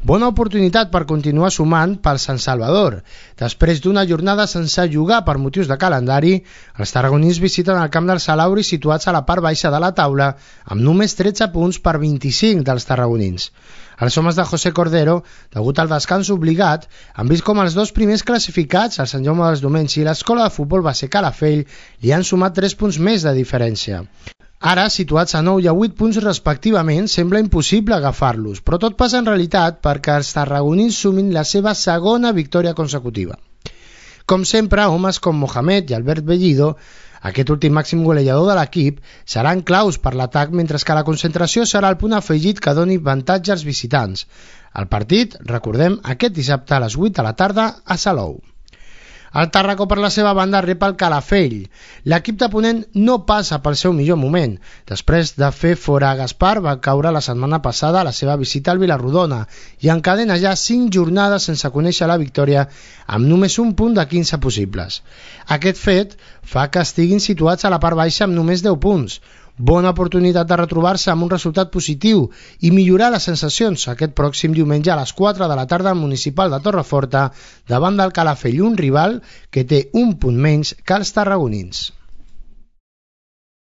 Bona oportunitat per continuar sumant pel Sant Salvador. Després d'una jornada sense jugar per motius de calendari, els tarragonins visiten el camp del Salauri situats a la part baixa de la taula amb només 13 punts per 25 dels tarragonins. Els homes de José Cordero, degut al descans obligat, han vist com els dos primers classificats, el Sant Jaume dels Domenys i l'Escola de Futbol Base Calafell, li han sumat 3 punts més de diferència. Ara, situats a 9 i a 8 punts respectivament, sembla impossible agafar-los, però tot passa en realitat perquè els tarragonins sumin la seva segona victòria consecutiva. Com sempre, homes com Mohamed i Albert Bellido, aquest últim màxim golejador de l'equip, seran claus per l'atac, mentre que la concentració serà el punt afegit que doni avantatge als visitants. El partit, recordem, aquest dissabte a les 8 de la tarda a Salou. El Tàrraco, per la seva banda, rep el Calafell. L'equip de Ponent no passa pel seu millor moment. Després de fer fora a Gaspar, va caure la setmana passada a la seva visita al Vilarrodona i encadena ja 5 jornades sense conèixer la victòria amb només un punt de 15 possibles. Aquest fet fa que estiguin situats a la part baixa amb només 10 punts. Bona oportunitat de retrobar-se amb un resultat positiu i millorar les sensacions aquest pròxim diumenge a les 4 de la tarda al Municipal de Torreforta davant del Calafell, un rival que té un punt menys que els tarragonins.